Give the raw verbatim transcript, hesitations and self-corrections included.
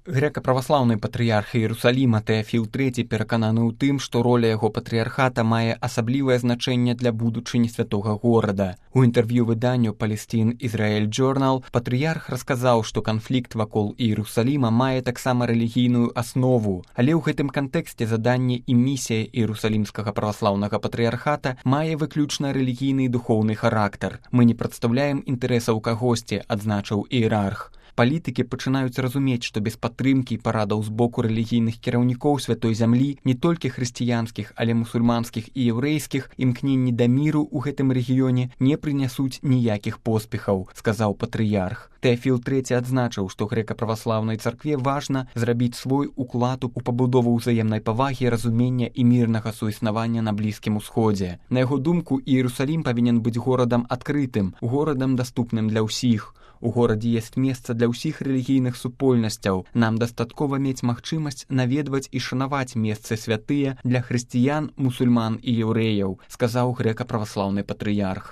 Грэка-праваслаўны патрыярх Іерусаліма Тэафіл трэці перакананы ў тым, што роля яго патрыярхата мае асаблівае значэнне для будучыні святога горада. У інтэрв'ю выданню Palestine Israel Journal патрыярх расказаў, што канфлікт вакол Іерусаліма мае таксама рэлігійную аснову, але ў гэтым кантэксце заданне і місія Іерусалімскага праваслаўнага патрыярхата мае выключна рэлігійны і духоўны характар. Мы не прадстаўляем інтарэсаў кагосьці, адзначыў іерарх. Палітыкі пачынаюць разумець, што без падтрымкі і парадаў з боку рэлігійных кіраўнікоў святой зямлі, не толькі хрысціянскіх, але мусульманскіх і яўрэйскіх, імкненні да міру ў гэтым рэгіёне не прынясуць ніякіх поспехаў, сказаў патрыярх. Тэафіл трэці адзначыў, што грэка-праваслаўнай царкве важна зрабіць свой уклад у пабудову ўзаемнай павагі, разумення і мірнага суіснавання на Блізкім Усходзе. На яго думку, Іерусалім павінен быць горадам адкрытым, горадам даступным для ўсіх. У горадзе ёсць месца для ўсіх рэлігійных супольнасцяў. Нам дастаткова мець магчымасць наведваць і шанаваць месцы святыя для хрысціян, мусульман і яўрэяў, сказаў грэка-праваслаўны патрыярх.